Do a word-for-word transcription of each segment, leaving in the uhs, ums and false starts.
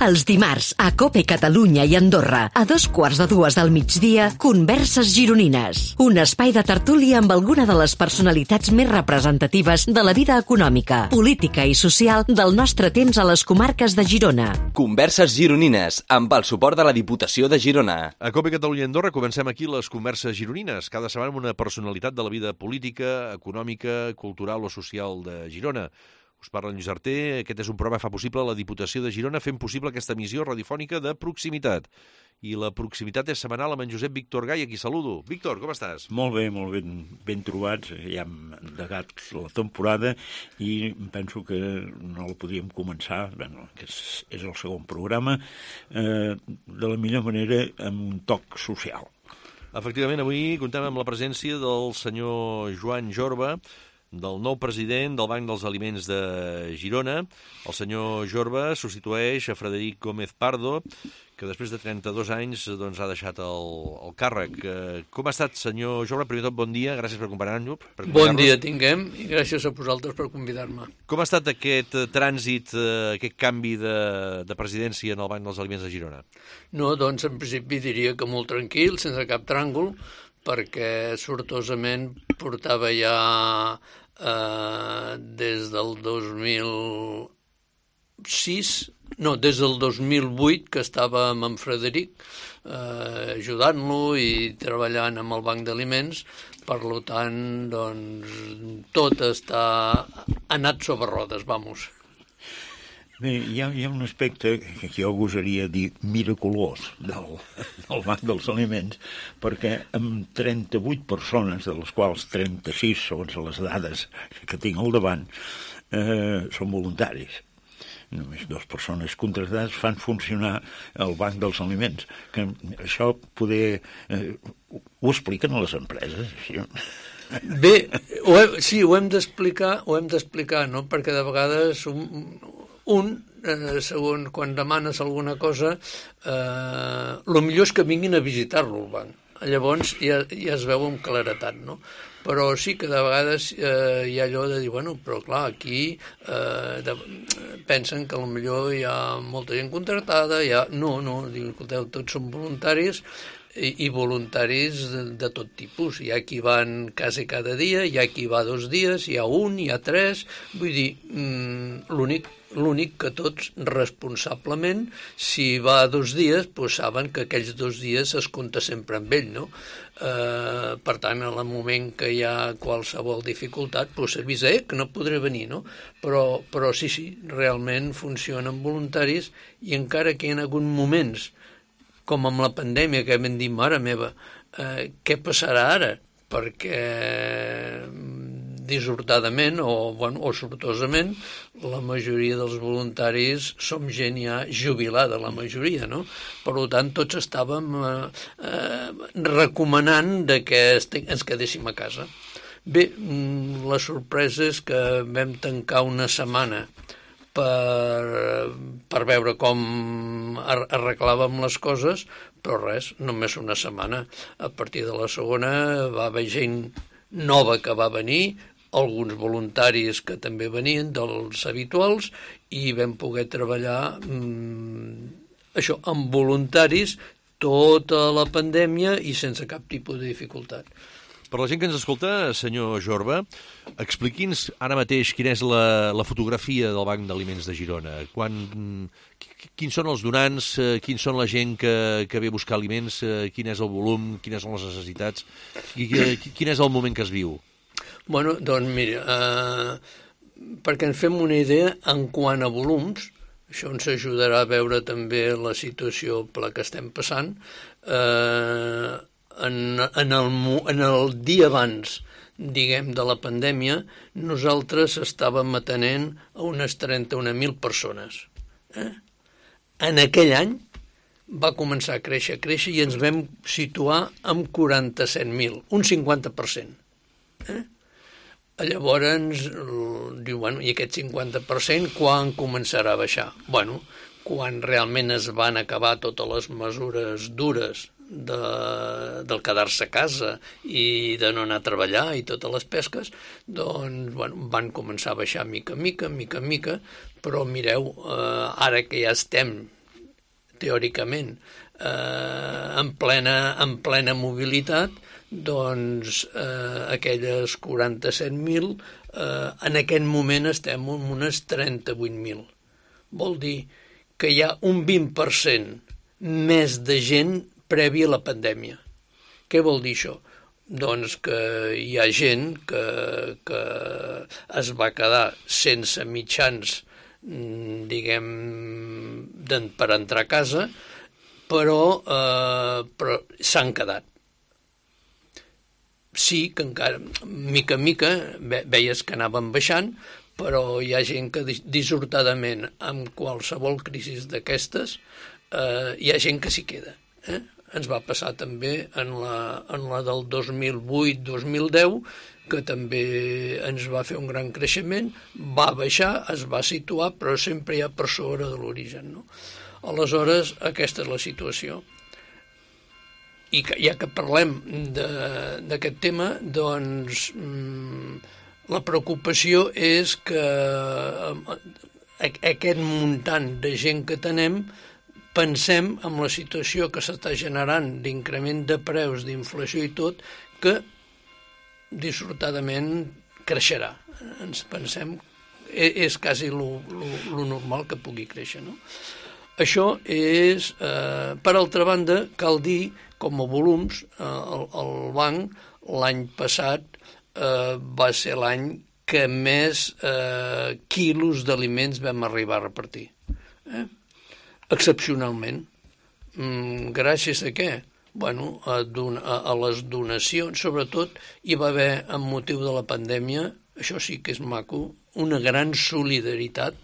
Els dimarts, a COPE Catalunya i Andorra, a dos quarts de dues del migdia, Converses Gironines. Un espai de tertúlia amb alguna de les personalitats més representatives de la vida econòmica, política i social del nostre temps a les comarques de Girona. Converses Gironines, amb el suport de la Diputació de Girona. A COPE Catalunya i Andorra comencem aquí les Converses Gironines, cada setmana amb una personalitat de la vida política, econòmica, cultural o social de Girona. Us parla en Lluís Arter, aquest és un programa que fa possible la Diputació de Girona fent possible aquesta emissió radiofònica de proximitat. I la proximitat és setmanal amb en Josep Víctor Gai, a qui saludo. Víctor, com estàs? Molt bé, molt ben, ben trobats. Ja hem endegat la temporada i penso que no la podíem començar, bueno, que és, és el segon programa, eh, de la millor manera amb un toc social. Efectivament, avui contem amb la presència del senyor Joan Jorba, del nou president del Banc dels Aliments de Girona. El senyor Jorba substitueix a Frederic Gómez Pardo, que després de trenta-dos anys doncs, ha deixat el, el càrrec. Com ha estat, senyor Jorba? Primer de tot, bon dia, gràcies per acompanyar-nos. Bon dia tinguem i gràcies a vosaltres per convidar-me. Com ha estat aquest trànsit, aquest canvi de, de presidència en el Banc dels Aliments de Girona? No, doncs en principi diria que molt tranquil, sense cap tràngol, perquè sortosament portava ja eh, des del dos mil sis, no, des del dos mil vuit que estava amb en Frederic eh, ajudant-lo i treballant amb el Banc d'Aliments, per tant, doncs, tot està anat sobre rodes, vamos. Bé, hi ha, hi ha un aspecte que jo gosaria dir miraculós del, del Banc dels Aliments, perquè amb trenta-vuit persones, de les quals trenta-sis, segons les dades que tinc al davant, eh, són voluntaris. Només dues persones contractades fan funcionar el Banc dels Aliments. Que això poder... Eh, ho expliquen a les empreses, això? Bé, ho he, sí, ho hem d'explicar, ho hem d'explicar, no? Perquè de vegades un, un eh, segons quan demanes alguna cosa, eh, el millor és que vinguin a visitar-lo al banc. Llavors ja, ja es veu amb claretat, no? Però sí que de vegades eh, hi ha allò de dir, bueno, però clar, aquí eh, de, pensen que potser hi ha molta gent contractada, hi ha... No, no, diuen, escolteu, tots són voluntaris, i, i voluntaris de, de tot tipus. Hi ha qui van quasi cada dia, hi ha qui va dos dies, hi ha un, hi ha tres, vull dir, mm, l'únic l'únic que tots responsablement, si va dos dies, doncs saben que aquells dos dies es compta sempre amb ell, no? Eh, per tant, en el moment que hi ha qualsevol dificultat, doncs s'avisa, eh, que no podré venir, no? Però, però sí, sí, realment funcionen voluntaris i encara que hi ha hagut moments, com amb la pandèmia, que vam dir, mare meva, eh, què passarà ara? Perquè dissortadament o, bueno, o sortosament la majoria dels voluntaris som gent ja jubilada, la majoria, no? Per tant, tots estàvem eh, eh, recomanant de que ens quedéssim a casa. Bé, la sorpresa és que vam tancar una setmana per, per veure com arreglàvem les coses, però res, només una setmana. A partir de la segona va haver gent nova que va venir, alguns voluntaris que també venien dels habituals, i vam poder treballar mmm, això, amb voluntaris tota la pandèmia i sense cap tipus de dificultat. Per la gent que ens escolta, senyor Jorba, expliqui'ns ara mateix quina és la, la fotografia del Banc d'Aliments de Girona. Quan, quins són els donants, quins són la gent que, que ve a buscar aliments, quin és el volum, quines són les necessitats, quin és el moment que es viu? Bueno, doncs mira, eh, perquè ens fem una idea en quant a volums, això ens ajudarà a veure també la situació per la que estem passant, eh, en, en, el, en el dia abans, diguem, de la pandèmia, nosaltres estàvem atenent a unes trenta-un mil persones. Eh? En aquell any va començar a créixer, a créixer i ens vam situar amb quaranta-set mil, un cinquanta per cent. Eh? Llavors, diu, bueno, i aquest cinquanta per cent quan començarà a baixar? Bueno, quan realment es van acabar totes les mesures dures de, del quedar-se a casa i de no anar a treballar i totes les pesques, doncs bueno, van començar a baixar mica en mica, mica en mica, però mireu, eh, ara que ja estem teòricament, eh, en, plena, en plena mobilitat, doncs eh, aquelles quaranta-set mil, eh, en aquest moment estem en unes trenta-vuit mil. Vol dir que hi ha un vint per cent més de gent prèvia a la pandèmia. Què vol dir això? Doncs que hi ha gent que, que es va quedar sense mitjans, diguem, per entrar a casa, però, eh, però s'han quedat. Sí que encara, mica en mica, veies que anaven baixant, però hi ha gent que dissortadament, amb qualsevol crisi d'aquestes, eh, hi ha gent que s'hi queda. Eh? Ens va passar també en la, en la del dos mil vuit dos mil deu, que també ens va fer un gran creixement, va baixar, es va situar, però sempre hi ha per sobre de l'origen. No? Aleshores, aquesta és la situació. I que, ja que parlem d'aquest tema, doncs mmm, la preocupació és que aquest muntant de gent que tenem, pensem en la situació que s'està generant d'increment de preus, d'inflació i tot, que dissortadament creixerà. Ens pensem, és quasi lo, lo, lo normal que pugui créixer, no? Això és, eh, per altra banda, cal dir, com a volums, eh, el, el banc l'any passat eh, va ser l'any que més eh, quilos d'aliments vam arribar a repartir. Eh? Excepcionalment. Mm, gràcies a què? Bueno, a, don a, a les donacions, sobretot, hi va haver, amb motiu de la pandèmia, això sí que és maco, una gran solidaritat.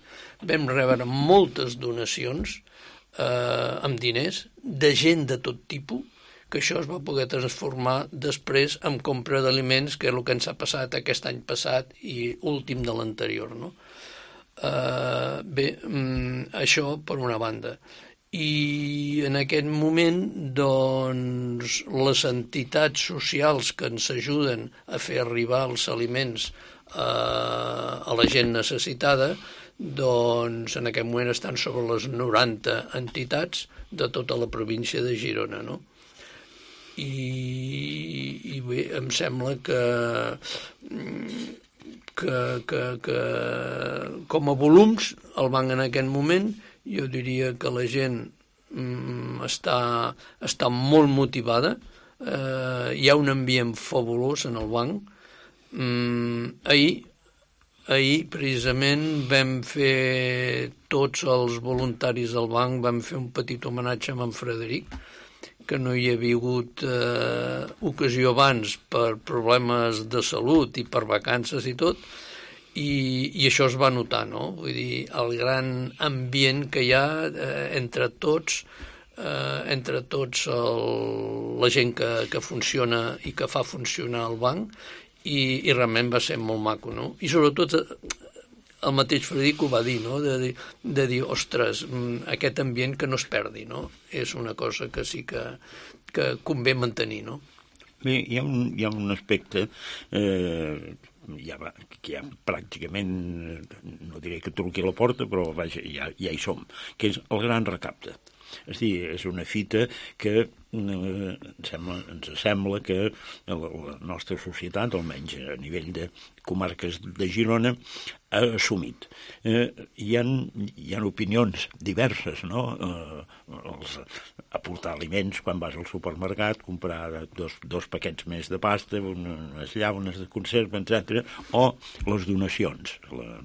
Vam rebre moltes donacions eh, amb diners, de gent de tot tipus, que això es va poder transformar després en compra d'aliments, que és el que ens ha passat aquest any passat i últim de l'anterior, no? Uh, bé, um, això per una banda. I en aquest moment, doncs, les entitats socials que ens ajuden a fer arribar els aliments uh, a la gent necessitada, doncs en aquest moment estan sobre les noranta entitats de tota la província de Girona, no? I, i bé, em sembla que... Que, que, que com a volums, el banc en aquest moment, jo diria que la gent mm, està, està molt motivada, eh, hi ha un ambient fabulós en el banc. Mm, ahir, ahir, precisament, vam fer, tots els voluntaris del banc, vam fer un petit homenatge a en Frederic, que no hi havia hagut eh, ocasió abans per problemes de salut i per vacances i tot, i, i això es va notar, no? Vull dir, el gran ambient que hi ha eh, entre tots, eh, entre tots el, la gent que, que funciona i que fa funcionar el banc, i, i realment va ser molt maco, no? I sobretot el mateix Frederic ho va dir, no? De dir, de dir, ostres, aquest ambient que no es perdi, no? És una cosa que sí que, que convé mantenir, no? Bé, hi ha un, hi ha un aspecte eh, ja va, que ja pràcticament, no diré que truqui a la porta, però vaja, ja, ja hi som, que és el gran recapte. És a dir, és una fita que eh, ens, sembla, ens sembla que la nostra societat, almenys a nivell de comarques de Girona, ha assumit. Eh, hi, ha, hi ha opinions diverses, no? Eh, els, aportar aliments quan vas al supermercat, comprar dos, dos paquets més de pasta, unes llaunes de conserva, etcètera, o les donacions, la,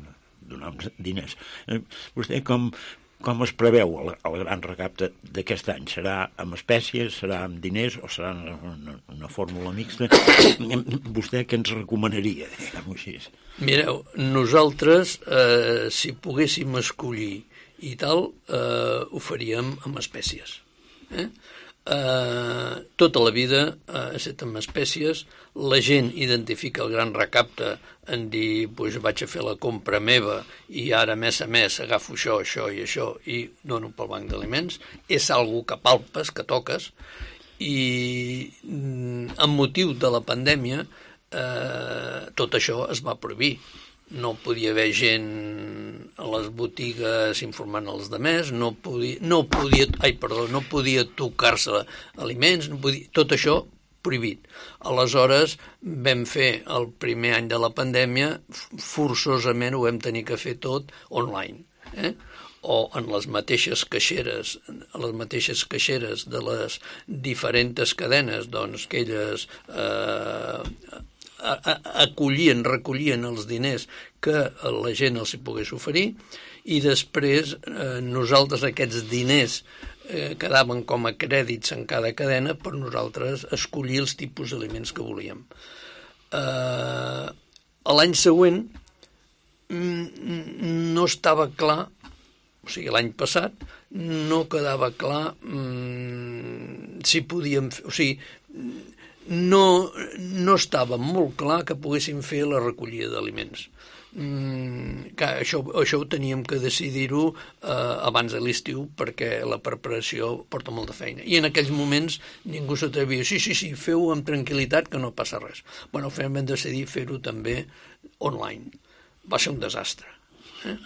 donar diners. Eh, vostè com... Com es preveu el, el gran recapte d'aquest any? Serà amb espècies, serà amb diners o serà una, una fórmula mixta? Vostè què ens recomanaria, diguem-ho així? Mireu, nosaltres, eh, si poguéssim escollir i tal, eh, ho faríem amb espècies. Eh? Eh, tota la vida ha eh, estat amb espècies. La gent identifica el gran recapte en dir, doncs vaig a fer la compra meva i ara mes a mes agafo això, això i això i dono pel banc d'aliments. És algo que palpes, que toques, i amb motiu de la pandèmia eh, tot això es va prohibir. no podia haver gent a les botigues informant els demés, no podia, no podia, ai, perdó, no podia tocar-se aliments, no podia, tot això prohibit. Aleshores vam fer el primer any de la pandèmia, forçosament ho vam tenir que fer tot online, eh? O en les mateixes caixeres, a les mateixes caixeres de les diferents cadenes, doncs que elles eh, acollien, recollien els diners que la gent els hi pogués oferir, i després eh, nosaltres aquests diners eh, quedaven com a crèdits en cada cadena per nosaltres escollir els tipus d'aliments que volíem. Eh, l'any següent no estava clar, o sigui, l'any passat no quedava clar mmm, si podíem fer, o sigui, no, no estava molt clar que poguéssim fer la recollida d'aliments. Mm, que això, això ho teníem que decidir-ho eh, abans de l'estiu, perquè la preparació porta molta feina. I en aquells moments ningú s'atrevia, sí, sí, sí, feu-ho amb tranquil·litat que no passa res. Bueno, vam decidir fer-ho també online. Va ser un desastre. Eh?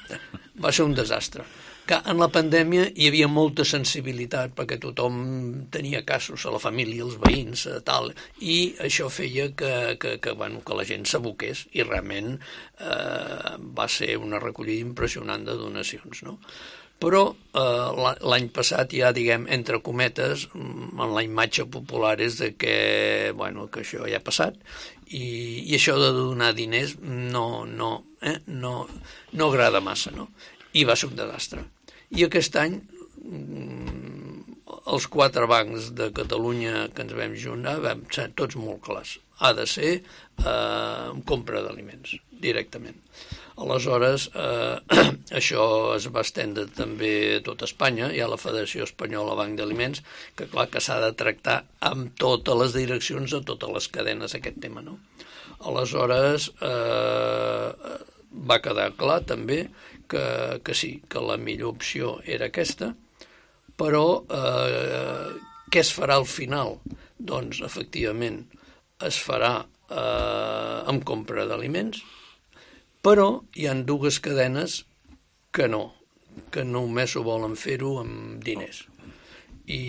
Va ser un desastre. Que en la pandèmia hi havia molta sensibilitat perquè tothom tenia casos, a la família, els veïns, tal, i això feia que, que, que, bueno, que la gent s'aboqués, i realment eh, va ser una recollida impressionant de donacions, no? Però eh, l'any passat ja, diguem, entre cometes, en la imatge popular és de que, bueno, que això ja ha passat, i, i això de donar diners no, no, eh, no, no agrada massa, no? I va ser un desastre. I aquest any els quatre bancs de Catalunya que ens vam juntar vam ser tots molt clars. Ha de ser eh, compra d'aliments, directament. Aleshores, eh, això es va estendre també a tot Espanya. Hi ha la Federació Espanyola Banc d'Aliments, que clar que s'ha de tractar amb totes les direccions, a totes les cadenes, aquest tema, no? Aleshores, eh, va quedar clar també que, que sí, que la millor opció era aquesta, però eh, què es farà al final? Doncs, efectivament, es farà eh, amb compra d'aliments, però hi ha dues cadenes que no, que només ho volen fer-ho amb diners. I,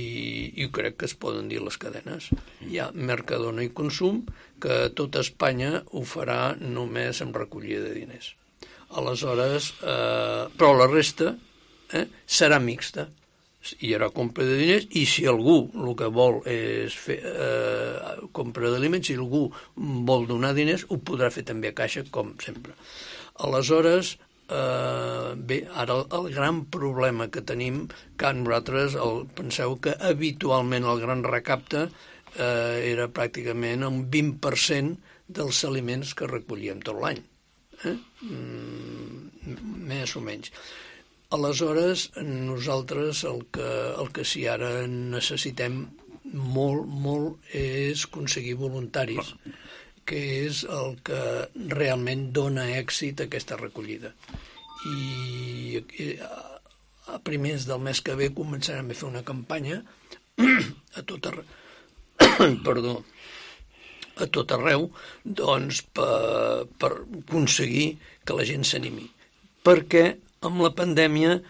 i crec que es poden dir les cadenes. Hi ha Mercadona i Consum, que tot Espanya ho farà només amb recollida de diners. Aleshores, eh, però la resta eh, serà mixta. Hi haurà compra de diners, i si algú el que vol és fer eh, compra d'aliments, si algú vol donar diners, ho podrà fer també a caixa, com sempre. Aleshores, eh, bé, ara el, el gran problema que tenim, que nosaltres el, penseu que habitualment el gran recapte eh, era pràcticament un vint per cent dels aliments que recollíem tot l'any. Eh? Mm, més o menys. Aleshores, nosaltres el que, el que sí ara necessitem molt, molt és aconseguir voluntaris, que és el que realment dona èxit a aquesta recollida. I a primers del mes que ve començarem a fer una campanya a tot arreu, perdó, a tot arreu, doncs, per, per aconseguir que la gent s'animi. Perquè amb la pandèmia,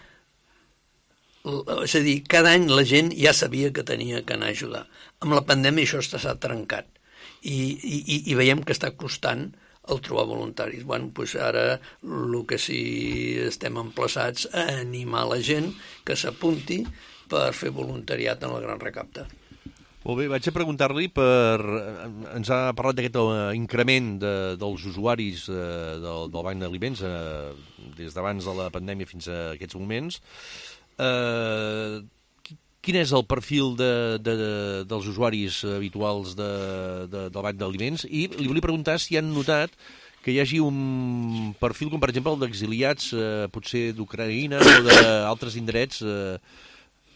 és a dir, cada any la gent ja sabia que tenia que anar a ajudar. Amb la pandèmia això s'ha trencat, i, i, i veiem que està costant el trobar voluntaris. Bueno, doncs ara el que sí estem emplaçats a animar la gent que s'apunti per fer voluntariat en el gran recapte. Molt bé, vaig a preguntar-li per... Ens ha parlat d'aquest increment de, dels usuaris eh, del, del Banc d'Aliments eh, des d'abans de la pandèmia fins a aquests moments. Eh, quin és el perfil de, de, dels usuaris habituals de, de, del Banc d'Aliments? I li volia preguntar si han notat que hi hagi un perfil com, per exemple, el d'exiliats, eh, potser d'Ucraïna o d'altres indrets. Eh,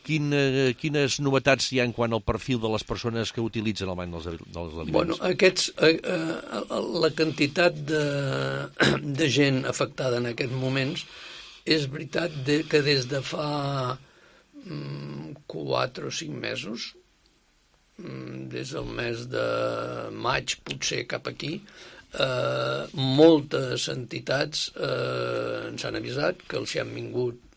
Quin, eh, quines novetats hi ha en quant al perfil de les persones que utilitzen el banc dels, dels aliments? Bueno, aquests, eh, eh, la quantitat de, de gent afectada en aquests moments és veritat de, que des de fa mm, quatre o cinc mesos, mm, des del mes de maig potser cap aquí, eh, moltes entitats eh, ens han avisat que els hi han vingut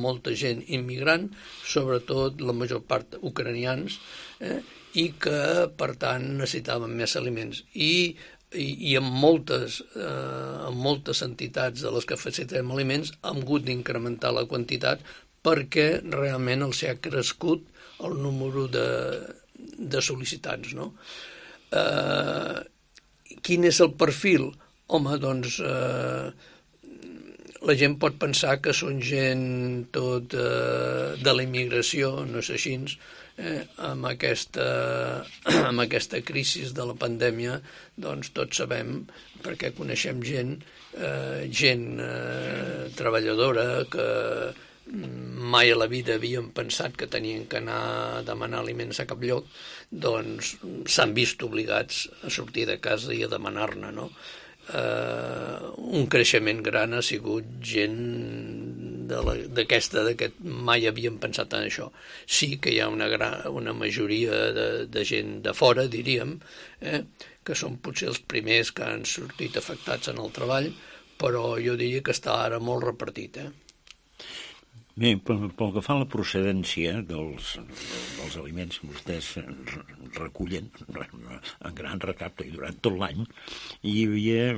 molta gent immigrant, sobretot la major part ucranians, eh, i que, per tant, necessitaven més aliments. I, i, i en, moltes, eh, en moltes entitats de les que facilitem aliments hem hagut d'incrementar la quantitat perquè realment els ha crescut el número de, de sol·licitants, no? Eh, quin és el perfil? Home, doncs... Eh, la gent pot pensar que són gent tot eh, de la immigració, no és així, eh, amb, aquesta, amb aquesta crisi de la pandèmia, doncs tots sabem, perquè coneixem gent, eh, gent eh, treballadora que mai a la vida havien pensat que tenien que anar a demanar aliments a cap lloc, doncs s'han vist obligats a sortir de casa i a demanar-ne, no? Uh, un creixement gran ha sigut gent d'aquesta, que mai havien pensat en això. Sí que hi ha una, gran, una majoria de, de gent de fora, diríem, eh, que són potser els primers que han sortit afectats en el treball, però jo diria que està ara molt repartit, eh? Bé, pel, pel que fa a la procedència dels, dels aliments que vostès recullen en gran recapte i durant tot l'any, hi havia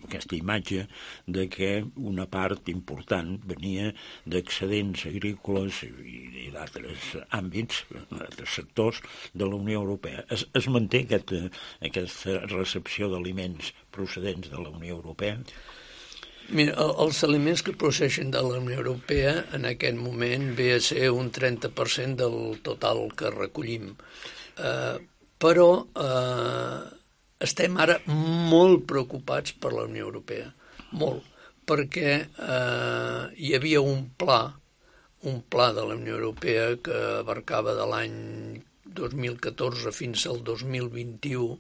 aquesta imatge de que una part important venia d'excedents agrícoles i, i d'altres àmbits, d'altres sectors de la Unió Europea. Es, es manté aquest, aquesta recepció d'aliments procedents de la Unió Europea? Mira, els aliments que procedeixen de la Unió Europea en aquest moment ve a ser un trenta per cent del total que recollim. Eh, però eh, estem ara molt preocupats per la Unió Europea, molt, perquè eh, hi havia un pla, un pla de la Unió Europea que abarcava de l'any dos mil catorze fins al dos mil vint-i-u,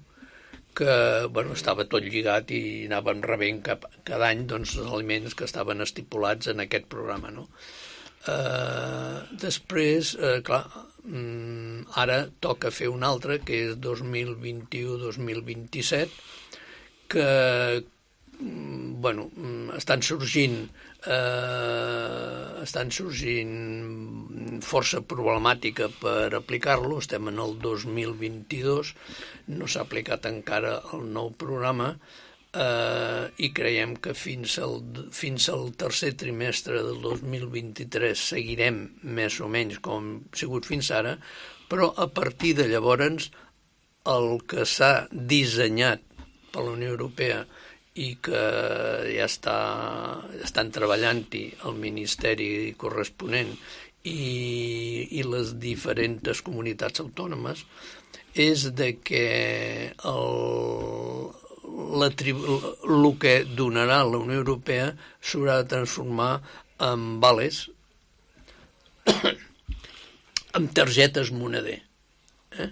que bueno, estava tot lligat i anàvem rebent cap, cada any doncs, els aliments que estaven estipulats en aquest programa, no? Eh, després, eh, clar, mm, ara toca fer un altre, que és dos mil vint-i-u dos mil vint-i-set, que mm, bueno, estan sorgint eh, estan sorgint força problemàtica per aplicar-lo. Estem en el dos mil vint-i-dos, no s'ha aplicat encara el nou programa, eh, i creiem que fins al, fins al tercer trimestre del dos mil vint-i-tres seguirem més o menys com ha sigut fins ara, però a partir de llavors el que s'ha dissenyat per la Unió Europea i que ja està, estan treballant-hi el Ministeri corresponent i, i les diferents comunitats autònomes, és de que el, la tribu, el que donarà la Unió Europea s'haurà de transformar en vales, en targetes moneder, eh?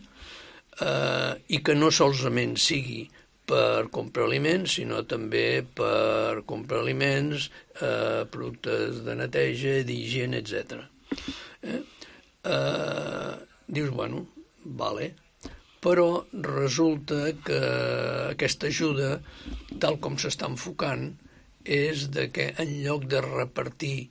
Uh, i que no solament sigui per comprar aliments, sinó també per comprar aliments, eh, productes de neteja, d'higiene, etcètera. Eh? Eh, dius, bueno, vale, però resulta que aquesta ajuda, tal com s'està enfocant, és de que en lloc de repartir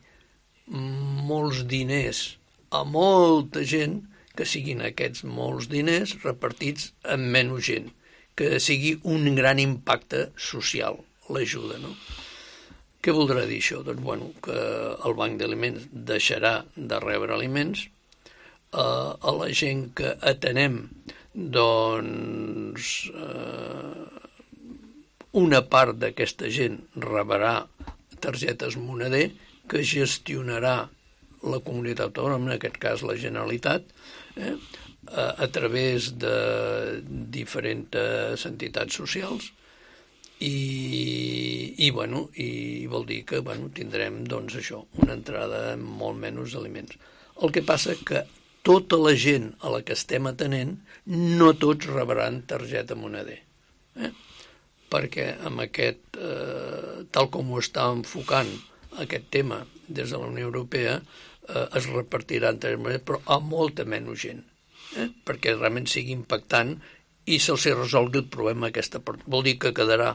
molts diners a molta gent, que siguin aquests molts diners repartits amb menys gent, que sigui un gran impacte social, l'ajuda, no? Què voldrà dir això? Doncs, bueno, que el Banc d'Aliments deixarà de rebre aliments, eh, a la gent que atenem, doncs, eh, una part d'aquesta gent rebrà targetes moneder que gestionarà la comunitat autònoma, en aquest cas la Generalitat, eh, a través de diferents entitats socials i, i, bueno, i vol dir que bueno, tindrem doncs, això, una entrada amb molt menys aliments. El que passa que tota la gent a la que estem atenent no tots rebran targeta moneder, eh? Perquè amb aquest, eh, tal com ho està enfocant aquest tema des de la Unió Europea, eh, es repartirà en targeta moneder, però a molta menys gent. Eh? Perquè realment sigui impactant i se'ls resolgui el problema aquesta part. Vol dir que quedarà,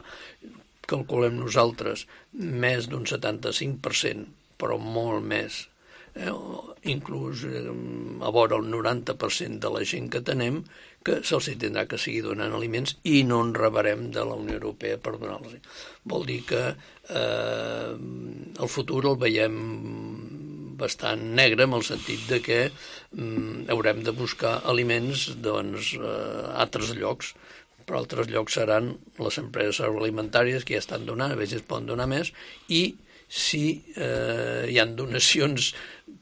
calculem nosaltres, més d'un setanta-cinc per cent, però molt més, eh? Inclús eh, a vora el noranta per cent de la gent que tenem, que se'ls tindrà que seguir donant aliments i no en rebrem de la Unió Europea per donar-los. Vol dir que eh, el futur el veiem bastant negre, en el sentit de que eh, haurem de buscar aliments doncs, a altres llocs, però altres llocs seran les empreses agroalimentàries que ja estan donant, a vegades poden donar més, i si eh, hi ha donacions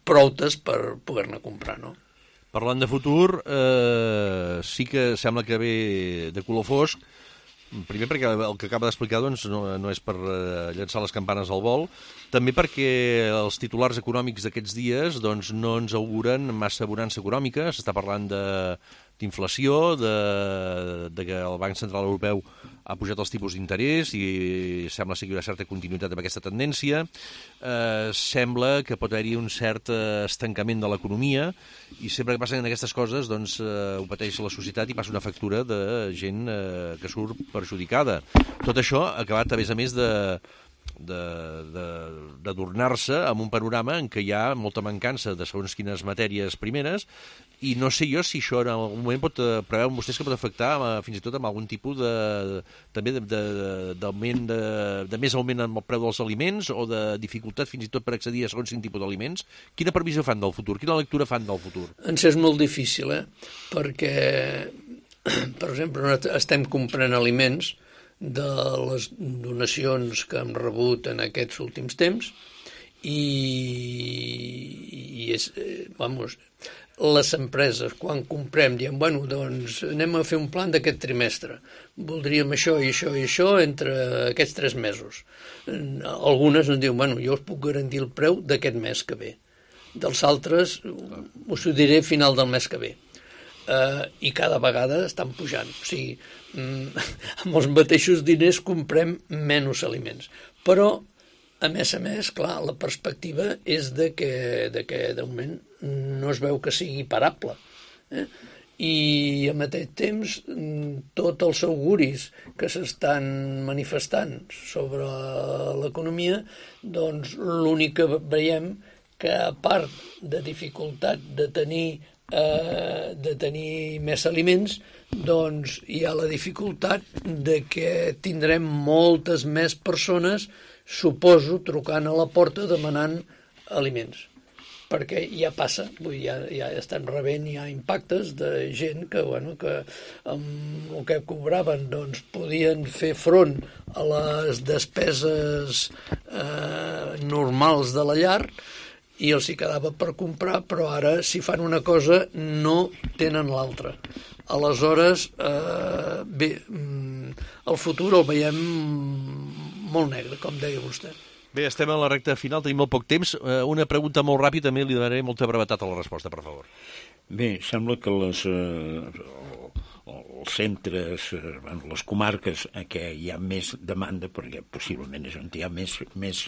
proutes per poder-ne comprar, no? Parlant de futur, eh, sí que sembla que ve de color fosc, primer perquè el que acaba d'explicar doncs, no, no és per eh, llançar les campanes al vol, també perquè els titulars econòmics d'aquests dies doncs, no ens auguren massa bonança econòmica. S'està parlant de d'inflació, de, de que el Banc Central Europeu ha pujat els tipus d'interès i sembla ser que hi haurà certa continuïtat amb aquesta tendència. Eh, sembla que pot haver-hi un cert estancament de l'economia i sempre que passen aquestes coses doncs, eh, ho pateix la societat i passa una factura de gent eh, que surt perjudicada. Tot això ha acabat, a més a més, de d'adornar-se amb un panorama en què hi ha molta mancança de segons quines matèries primeres i no sé jo si això en algun moment pot preveure vostès que pot afectar fins i tot amb algun tipus de, també d'augment de, de, de més augment en el preu dels aliments o de dificultat fins i tot per accedir a segons quin tipus d'aliments. Quina previsió fan del futur? Quina lectura fan del futur? Ens és molt difícil, eh? Perquè, per exemple, estem comprant aliments de les donacions que hem rebut en aquests últims temps i, i és, eh, vamos, les empreses quan comprem diem, bueno, doncs anem a fer un plan d'aquest trimestre, voldríem això i això i això entre aquests tres mesos. Algunes ens diuen, bueno, jo us puc garantir el preu d'aquest mes que ve, dels altres us ho diré a final del mes que ve. Uh, i cada vegada estan pujant. O sigui, mm, amb els mateixos diners comprem menys aliments. Però, a més a més, clar, la perspectiva és de que, de que de moment no es veu que sigui parable. Eh? I al mateix temps, tots els auguris que s'estan manifestant sobre l'economia, doncs l'únic que veiem que a part de dificultat de tenir Eh, de tenir més aliments, doncs hi ha la dificultat de que tindrem moltes més persones, suposo, trucant a la porta demanant aliments. Perquè ja passa, vull dir, ja, ja estan rebent ja impactes de gent que, bueno, que amb el que cobraven doncs, podien fer front a les despeses eh, normals de la llar, i els hi quedava per comprar, però ara, si fan una cosa, no tenen l'altra. Aleshores, eh, bé, el futur el veiem molt negre, com deia vostè. Bé, estem a la recta final, tenim molt poc temps. Una pregunta molt ràpida, també li donaré molta brevetat a la resposta, per favor. Bé, sembla que les... Eh, els centres, bueno, les comarques en què hi ha més demanda, perquè possiblement és on hi ha més, més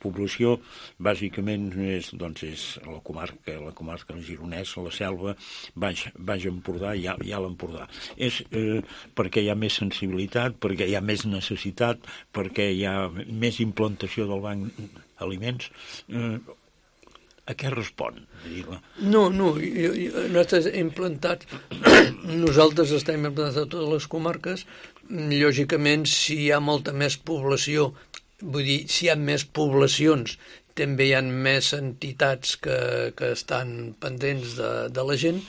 població, bàsicament és, doncs, és la comarca, la comarca del Gironès, la Selva, Baix, Baix Empordà i Alt, i Alt Empordà. És eh, perquè hi ha més sensibilitat, perquè hi ha més necessitat, perquè hi ha més implantació del banc d'aliments. Eh, A què respon? No, no, jo, jo, nosaltres hem plantat, nosaltres estem implantats a totes les comarques, lògicament si hi ha molta més població, vull dir, si hi ha més poblacions, també hi ha més entitats que, que estan pendents de, de la gent,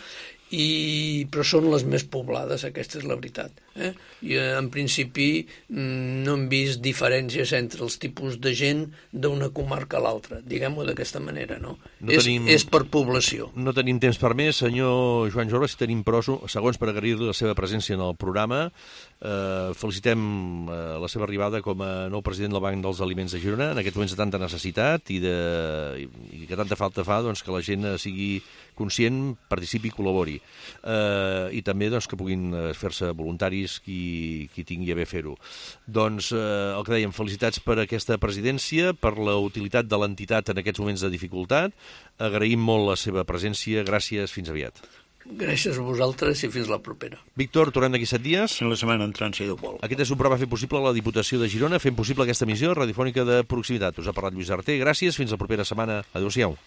i, però són les més poblades, aquesta és la veritat. Eh? I en principi no hem vist diferències entre els tipus de gent d'una comarca a l'altra, diguem-ho d'aquesta manera, no? no és, tenim, és per població. No tenim temps per més. Senyor Joan Jorba, si tenim prou segons per agrair-li la seva presència en el programa. Eh, felicitem eh, la seva arribada com a nou president del Banc dels Aliments de Girona, en aquests moments de tanta necessitat i, de, i, i que tanta falta fa doncs, que la gent sigui conscient, participi i col·labori. Eh, I també doncs, que puguin fer-se voluntaris qui, qui tingui a bé fer-ho. Doncs eh, el que dèiem, felicitats per aquesta presidència, per la utilitat de l'entitat en aquests moments de dificultat. Agraïm molt la seva presència. Gràcies, fins aviat. Gràcies a vosaltres i fins la propera. Víctor, tornem d'aquí set dies. La setmana entrant, si Déu vol. Aquest és un programa fet possible a la Diputació de Girona, fent possible aquesta emissió radiofònica de proximitat. Us ha parlat Lluís Arter. Gràcies, fins la propera setmana. Adéu-siau.